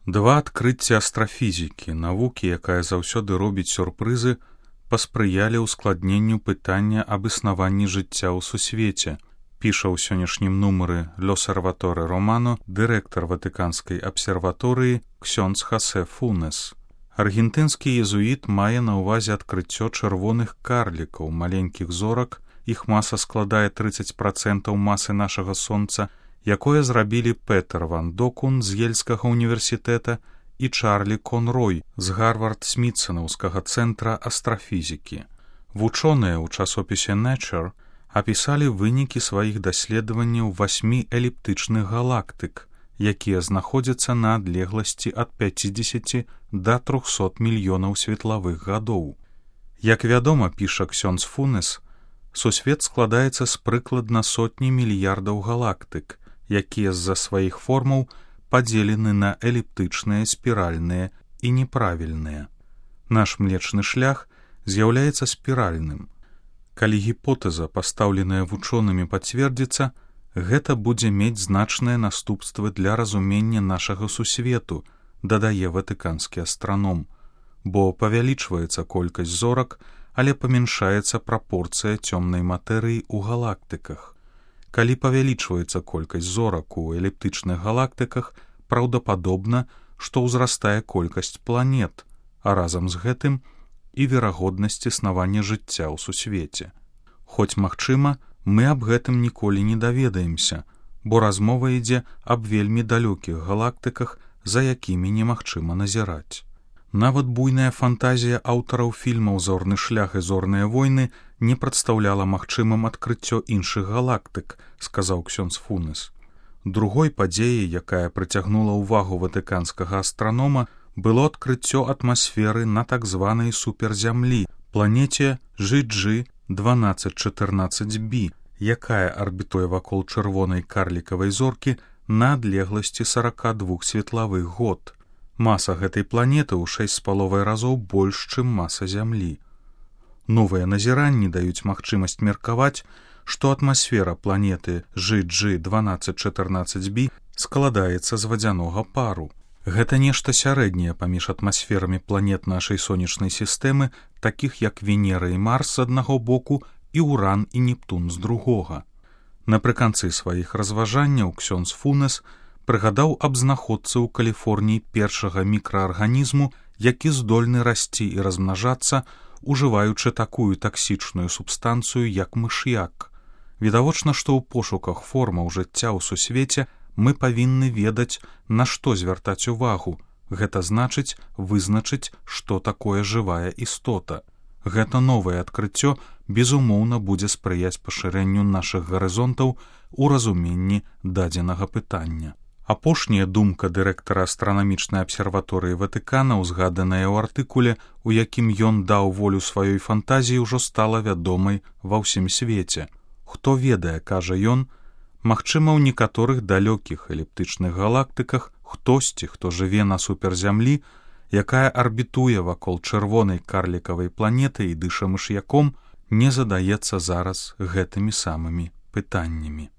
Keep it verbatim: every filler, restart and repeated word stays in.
Два адкрыцці астрафізікі, навукі, якая заўсёды робіць сюрпрызы, паспрыялі ўскладненню пытання аб існаванні жыцця ў сусвеце, піша ў сённяшнім нумары L'Osservatore Romano дырэктар Ватыканскай абсерваторыі ксёндз Хосе Фунес. Аргентынскі езуіт мае на ўвазе адкрыццё чырвоных карлікаў, маленькіх зорак, іх маса складае трыццаць працэнтаў масы нашага сонца, якое зрабілі Петер ван Докун з Ельскага універсітэта і Чарлі Конрой з Гарвард-Смітсонаўскага цэнтра астрафізікі. Вучоныя ў часопісе Nature апісалі вынікі сваіх даследаванняў васьмі эліптычных галактык, якія знаходзяцца на адлегласці ад пяцідзесяці да трохсот мільёнаў светлавых гадоў. Як вядома, піша ксёндз Фунес, сусвет складаецца з прыкладна сотні мільярдаў галактык, якія з-за сваіх формаў падзелены на эліптычныя, спіральныя і неправільныя. Наш млечны шлях з'яўляецца спіральным. Калі гіпотэза, пастаўленая вучонымі, пацвердзіцца, гэта будзе мець значныя наступствы для разумення нашага сусвету, дадае ватыканскі астраном, бо павялічваецца колькасць зорак, але памяншаецца прапорцыя цёмнай матэрыі ў галактыках. Калі павялічваецца колькасць зорак у эліптычных галактыках, праўдападобна, што ўзрастае колькасць планет, а разам з гэтым і верагоднасць існавання жыцця ў сусвеце. Хоць, магчыма, мы аб гэтым ніколі не даведаемся, бо размова ідзе аб вельмі далёкіх галактыках, за якімі немагчыма назіраць. Нават буйная фантазія аўтараў фільмаў «Зорны шлях» і «Зорныя войны» не прадстаўляла магчымым адкрыццё іншых галактык, сказаў ксёндз Фунес. Другой падзеяй, якая прыцягнула ўвагу ватыканскага астранома, было адкрыццё атмасферы на так званай суперзямлі, планеце джи джи дванаццаць чатырнаццаць бі, якая арбітуе вакол чырвонай карлікавай зоркі на адлегласці сорок два светлавых год. Маса гэтай планеты ў шэсць з паловай разоў больш, чым маса Зямлі. Новыя назіранні даюць магчымасць меркаваць, што атмасфера планеты джи джи дванаццаць чатырнаццаць бі складаецца з вадзянога пару. Гэта нешта сярэдняе паміж атмасферамі планет нашай сонечнай сістэмы, такіх як Венера і Марс з аднаго боку і Уран і Нептун з другога. Напрыканцы сваіх разважанняў ксёндз Фунес прыгадаў аб знаходцы ў Каліфорніі першага мікраарганізму, які здольны расці і размнажацца, ужываючы такую таксічную субстанцыю, як мыш'як. Відавочна, што ў пошуках формаў жыцця ў сусвеце мы павінны ведаць, на што звяртаць увагу. Гэта значыць вызначыць, што такое жывая істота. Гэта новае адкрыццё, безумоўна, будзе спрыяць пашырэнню нашых гарызонтаў у разуменні дадзенага пытання. Апошняя думка дырэктара астранамічнай абсерваторыі Ватыкана, узгаданая ў артыкуле, у якім ён даў волю сваёй фантазіі, ужо стала вядомай ва ўсім свеце. Хто ведае, кажа ён, магчыма, ў некаторых далёкіх эліптычных галактыках хтосьці, хто жыве на суперзямлі, якая арбітуе вакол чырвонай карлікавай планеты і дыша мыш'яком, не задаецца зараз гэтымі самымі пытаннямі.